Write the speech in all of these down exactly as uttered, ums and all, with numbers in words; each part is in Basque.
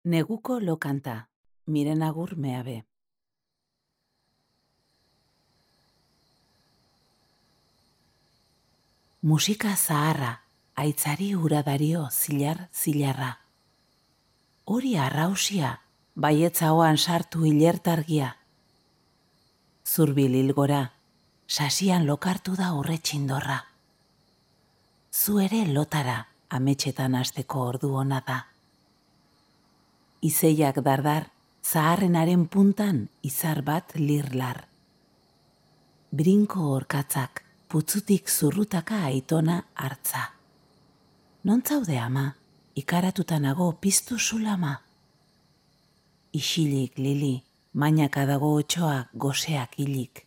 Neguko lokanta, miren agur meabe. Musika zaharra, aitzari uradario zilar zilarra. Hori arrausia, baietzaoan sartu hilertargia. Zurbil hilgora, sasian lokartu da urretxindorra. Zu ere lotara, ametxetan hasteko ordu ona da. Izeiak dardar, zaharrenaren puntan izar bat lirlar. Brinko orkatzak, putzutik zurrutaka aitona hartza. Nontzaude ama, ikaratuta nago piztu zulama. Isilik lili, mainaka dago otxoa goseak hilik.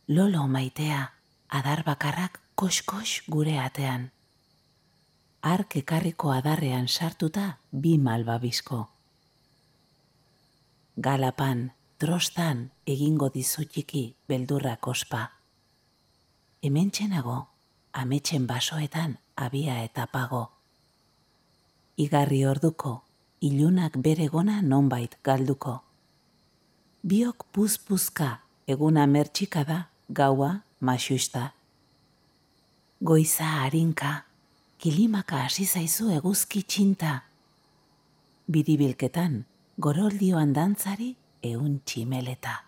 Lolo maitea, adar bakarrak kox-kox gure atean. Ark ekarriko adarrean sartuta bi malbabizko. Galapan, trostan egingo dizutiki beldurrak ospa. Hementxenago, ametxen basoetan abia eta pago. Igarri orduko, ilunak bere gona nonbait galduko. Biok puzpuzka, eguna mertxika da, gaua maxusta. Goiza harinka, kilimaka hasi zaizu eguzki txinta. Biribilketan, goroldioan dantzari eun tximeleta.